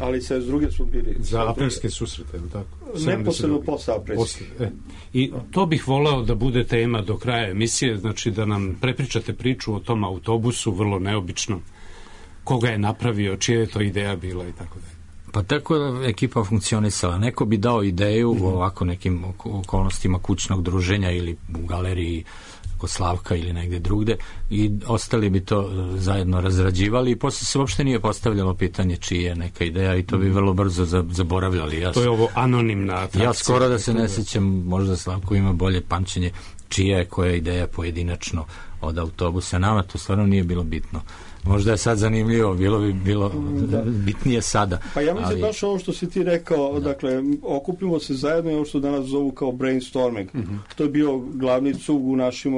ali sve s druge su bili... Za aprilske susrete, tako? Neposredno posle aprilske. I to bih voleo da bude tema do kraja emisije, znači da nam prepričate priču o tom autobusu, vrlo neobičnom, koga je napravio, čija je to ideja bila i tako dalje. Pa tako je ekipa funkcionisala. Neko bi dao ideju u ovako nekim okolnostima kućnog druženja ili u galeriji kod Slavka ili negde drugde i ostali bi to zajedno razrađivali i posle se uopšte nije postavljalo pitanje čija je neka ideja i to bi vrlo brzo zaboravljali. To je ovo anonimna atrakcija. Ja skoro da se ne sećam, možda Slavko ima bolje pamćenje čija je koja ideja pojedinačno od Autobusa. Nama to stvarno nije bilo bitno. Možda je sad zanimljivo, bilo bitnije sada. Pa ja mislim baš ovo što si ti rekao, dakle, okupimo se zajedno i ovo što danas zovu kao brainstorming. To je bio glavni cug u našim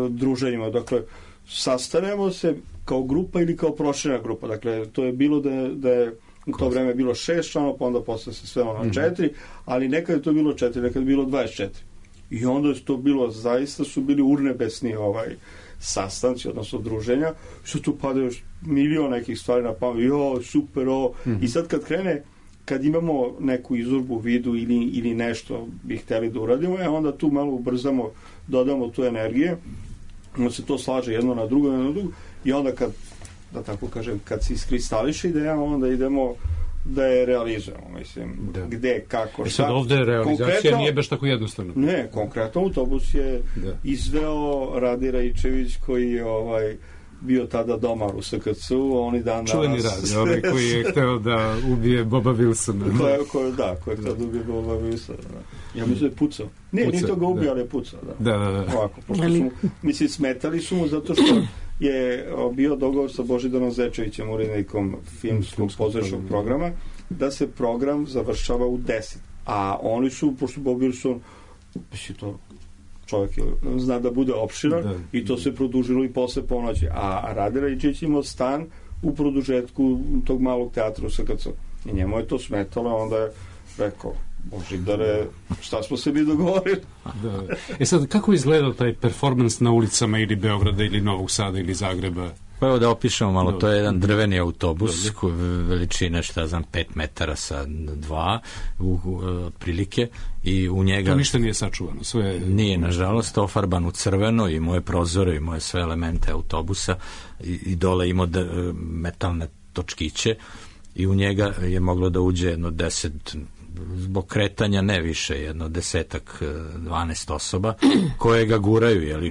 druženjima. Dakle, sastanemo se kao grupa ili kao proširena grupa. Dakle, to je bilo da je u to vreme bilo 6 članova, pa onda posle se sve na 4, ali nekad je to bilo 4, nekad je bilo 24. I onda je to bilo, zaista su bili urnebesni sastanci, odnosno druženja, što tu padaju milion nekih stvari na pamet, super, i sad kad imamo neku izurbu vidu ili nešto bi hteli da uradimo, onda tu malo ubrzamo, dodamo tu energije, onda se to slaže jedno na drugo, i onda kad se iskristališe ideja, onda idemo da je realizujemo, mislim, gde, kako, šta. Sad ovde realizacija nije baš tako jednostavno. Ne, konkretno Autobus je izveo Radi Raičević koji je bio tada domar u SKC-u, oni dan danas... Čuveni Radi, onaj koji je hteo da ubije Boba Wilsona. Koji je hteo da ubije Boba Wilsona. Ja mislim da je pucao. Nije to ga ubio, ali je pucao. Da. Ovako, pošto su smetali su mu zato što je bio dogovor sa Božidarom Zečevićem, urednikom filmskog pozorišnog programa, da se program završava u 10. A oni su, pošto Bob Wilson, to čovjek zna da bude opširan i to se produžilo i posle ponoći. A Rade Raičić imao stan u produžetku tog malog teatra u SKC. I njemu je to smetalo, onda je rekao, Božidare, šta smo se mi dogovorili? Sad, kako je izgledao taj performans na ulicama ili Beograda ili Novog Sada ili Zagreba? Pa evo da opišemo malo, to je jedan drveni autobus veličine, 5 metara sa 2 otprilike, i u njega... To ništa nije sačuvano, sve... Nije, nažalost, ofarban u crveno, i moje prozore i moje sve elemente autobusa, i dole imao metalne točkiće, i u njega je moglo da uđe jedno 10, zbog kretanja ne više, jedno 10-12 osoba koje ga guraju, jeli,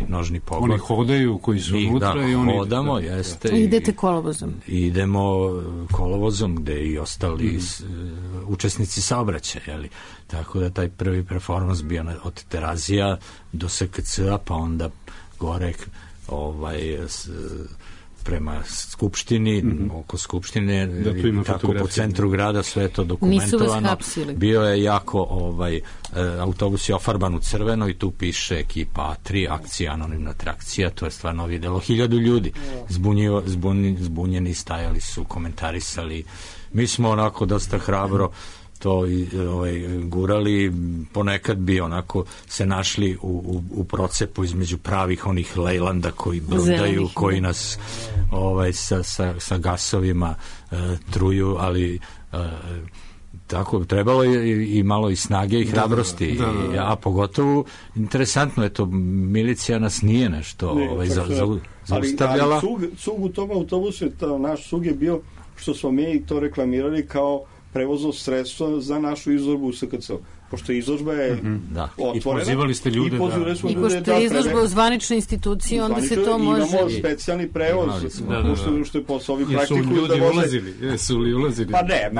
nožni pogled. Oni hodaju koji su unutra i oni... hodamo, jeste. I idete kolovozom. Idemo kolovozom, gde i ostali učesnici saobraćaja, jeli. Tako da taj prvi performans bio od Terazija do SKC-a, pa onda gore prema Skupštini, oko Skupštine, tako po centru grada, sve je to dokumentovano. Bio je jako, autobus je ofarban u crveno i tu piše ekipa A3, akcija, anonimna trakcija, to je stvarno videlo 1000 ljudi. Zbunjeni, stajali su, komentarisali. Mi smo onako dosta hrabro to gurali, ponekad bi onako se našli u procepu između pravih onih lejlanda koji brdaju, koji nas sa gasovima truju, ali tako, trebalo je i malo i snage i hrabrosti, a pogotovo interesantno je to, milicija nas nije nešto zaustavljala. Ali cug u tom autobusu, naš cug je bio, što smo mi to reklamirali kao prevozno sredstvo za našu izložbu u SKC. Pošto izložba je otvorena. I pozivali ste ljude. I pošto je izložba u zvaničnoj instituciji, onda se to može... Imamo specijalni prevoz, što je posao ovi praktikuju. Jesu ljudi ulazili? Jesu li ulazili? Pa ne,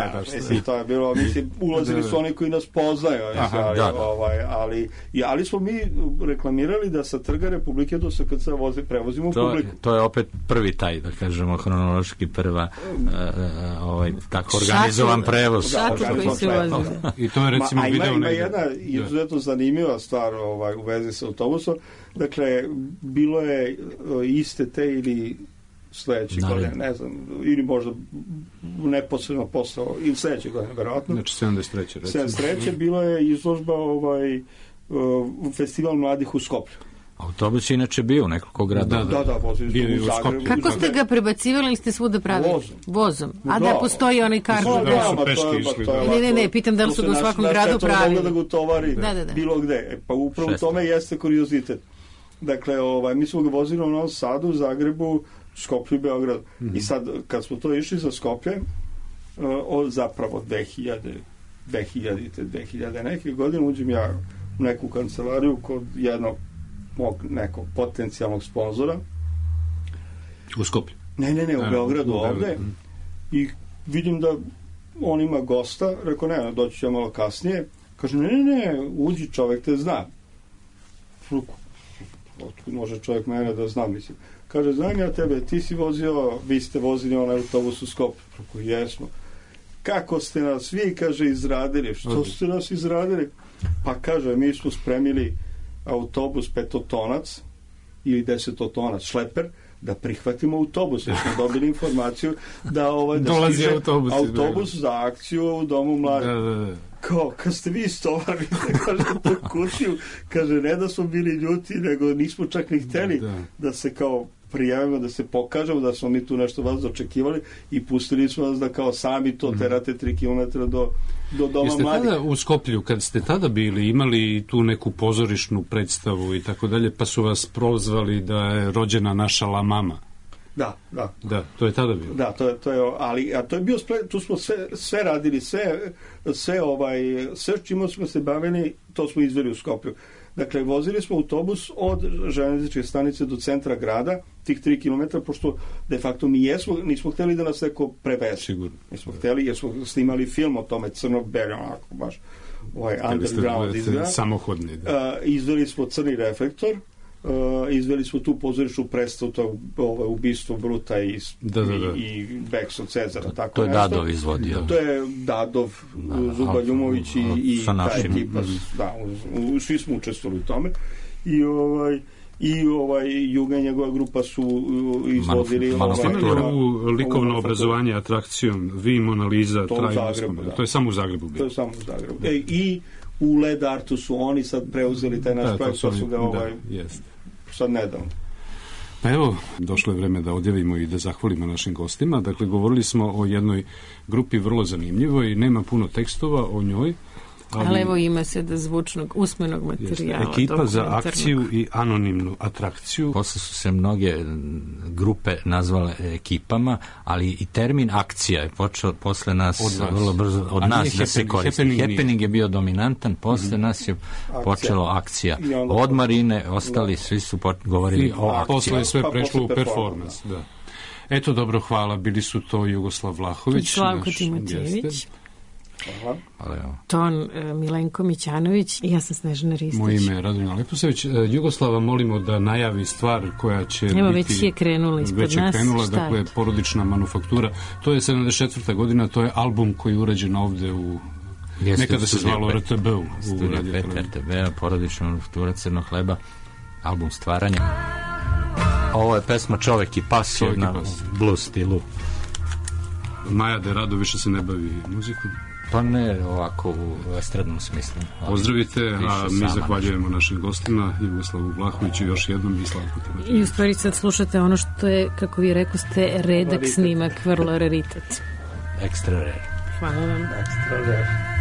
to je bilo, ulazili su oni koji nas poznaju, ali smo mi reklamirali da sa Trga Republike do SKC prevozimo publiku. To je opet prvi taj, da kažemo, hronološki prva tako organizovan prevoz. I to je recimo video. Ima jedna izuzetno zanimljiva stvar u vezi sa autobusom. Dakle, bilo je iste te ili sledeće godine, ne znam, ili možda neposredno posle, ili sledeće godine, verovatno. Znači 73. 73. bilo je izložba festival mladih u Skoplju. Autobus je inače bio u nekoliko grada. Da, vozili u Zagrebu. Kako ste ga prebacivali ili ste svuda pravili? Vozom. A da postoji onaj karton? Ne, pitam da li su ga u svakom gradu pravili. Da ga tovari bilo gde. Pa upravo u tome jeste kuriozitet. Dakle, mi smo ga vozili u Novom Sadu, Zagrebu, Skoplju i Beogradu. I sad, kad smo to išli za Skoplje, zapravo 2000 neke godine, uđem ja u neku kancelariju kod jednog mog nekog potencijalnog sponzora. U Skoplju? Ne, u Beogradu ovde. I vidim da on ima gosta. Rekao, ne, doći ću ja malo kasnije. Kaže, ne, uđi, čovek te zna. Otkud može čovek mene da zna, mislim. Kaže, znam ja tebe, ti si vozio, vi ste vozili onaj autobus u Skoplju. Rekao, jesmo. Kako ste nas vi, kaže, izradili? Što ste nas izradili? Pa kaže, mi smo spremili autobus 5-tonac ili 10-tonac šleper da prihvatimo autobus, jer smo dobili informaciju da dolazi autobus za akciju u Domu mladih. Kao, kad ste vi istovarili, kaže, tu kutiju, kaže, ne da smo bili ljuti, nego nismo čak ni hteli da se kao prijavimo, da se pokažemo da smo mi tu nešto vas očekivali i pustili smo vas da kao sami to terate 3 km do Doma Jeste mladih. Tada u Skoplju, kad ste tada bili, imali tu neku pozorišnu predstavu i tako dalje, pa su vas prozvali da je rođena naša La Mama. Da, to je tada bilo. Da, to je, ali a to je bio tu smo sve radili, sve čime smo se bavili, to smo izveli u Skoplju. Dakle, vozili smo autobus od železničke stanice do centra grada, tih 3 km, pošto de facto nismo hteli da nas neko preveze. Sigurno. Nismo hteli, jer smo snimali film o tome, crno-beli, onako, baš underground izgleda. Samohodni. Izveli smo crni reflektor, izveli smo tu pozorišnu predstavu, to ubistvo Bruta i Beks od Cezara. To je Dadov izvodio. To je Dadov, Zuba Ljumović i ta ekipa. Svi smo učestvovali u tome. I Juga i njegova grupa su izvodili u likovno obrazovanje atrakcijom Vi, Mona Lisa, to je samo u Zagrebu bilo. To je samo u Zagrebu. I u Led Artu su oni sad preuzeli taj naš projekt, pa su ga sad nedavno. Pa evo, došlo je vreme da odjavimo i da zahvalimo našim gostima. Dakle, govorili smo o jednoj grupi vrlo zanimljivoj, nema puno tekstova o njoj, ali evo ima se da zvučnog usmenog materijala. Ekipa za akciju i anonimnu atrakciju. Posle su se mnoge grupe nazvale ekipama, ali i termin akcija je počeo posle nas vrlo brzo od nas da se koristi. Happening je bio dominantan, posle nas je počelo akcija. Od Marine ostali svi su govorili o akciji. Posle je sve prešlo u performans. Da. Eto, dobro, hvala. Bili su to Jugoslav Vlahović, Slavko Timotijević, Ton Milenko Mićanović i ja sam Snežana Ristić. Moje ime je Radovina Leposević. Jugoslava molimo da najavi stvar koja će biti... Evo, već je krenula ispod nas. Dakle, Porodična manufaktura. To je 74. godina, to je album koji je urađen ovde u... Nekada se zvalo RTB-u. Studija 5 RTB-a, Porodična manufaktura Crnog hleba, album stvaranja. Ovo je pesma Čovek i pas, jedna blues stilu. Maja de Rado više se ne bavi muzikom. Pa ne ovako u estradnom smislu. Pozdravite, a mi zahvaljujemo našim gostima, Jugoslavu Vlahoviću još jednom i Slavku Timotijeviću. I u stvari sad slušate ono što je, kako vi rekoste, redak snimak, vrlo raritet. Ekstra rare. Hvala vam. Ekstra rare.